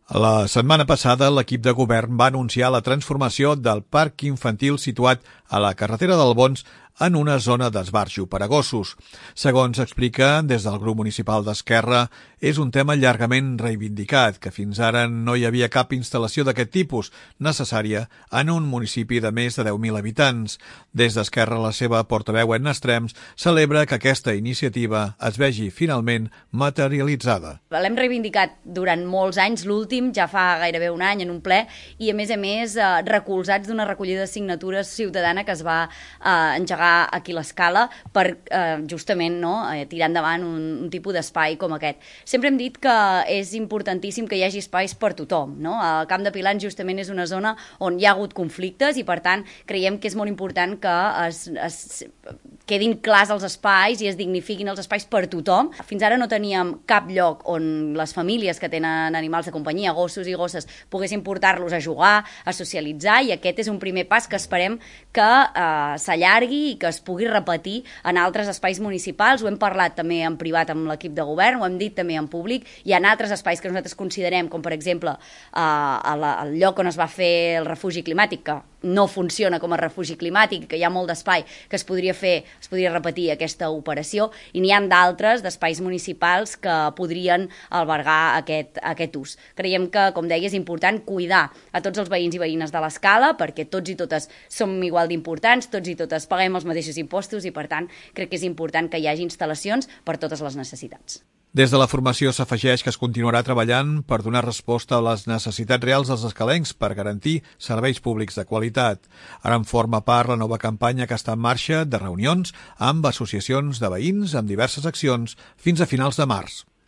La setmana passada, l'equip de govern va anunciar la transformació del parc infantil situat a la carretera d'Albons en una zona d'esbarjo per a gossos. Segons explica des del grup municipal d'Esquerra, és un tema llargament reivindicat, que fins ara no hi havia cap instal·lació d'aquest tipus necessària en un municipi de més de 10.000 habitants. Des d'Esquerra, la seva portaveu Edna Estrems celebra que aquesta iniciativa es vegi finalment materialitzada. L'hem reivindicat durant molts anys, l'últim ja fa gairebé un any en un ple, i a més recolzats d'una recollida de signatures ciutadana que es va engegar aquí a l'Escala per justament tirar endavant un tipus d'espai com aquest. Sempre hem dit que és importantíssim que hi hagi espais per tothom. El Camp de Pilans justament és una zona on hi ha hagut conflictes i per tant creiem que és molt important que es quedin clars els espais i es dignifiquin els espais per tothom. Fins ara no teníem cap lloc on les famílies que tenen animals de companyia, gossos i gosses, poguessin portar-los a jugar, a socialitzar, i aquest és un primer pas que esperem que s'allargui i que es pugui repetir en altres espais municipals. Ho hem parlat també en privat amb l'equip de govern, ho hem dit també en públic. Hi ha altres espais que nosaltres considerem, com per exemple el lloc on es va fer el refugi climàtic, que no funciona com a refugi climàtic, que hi ha molt d'espai que es podria repetir aquesta operació, i n'hi ha d'altres d'espais municipals que podrien albergar aquest ús. Creiem que, com deia, és important cuidar a tots els veïns i veïnes de l'Escala, perquè tots i totes som igual d'importants, tots i totes paguem els mateixos impostos i, per tant, crec que és important que hi hagi instal·lacions per totes les necessitats. Des de la formació s'afegeix que es continuarà treballant per donar resposta a les necessitats reals dels escalencs per garantir serveis públics de qualitat. Ara en forma part la nova campanya que està en marxa de reunions amb associacions de veïns amb diverses accions fins a finals de març.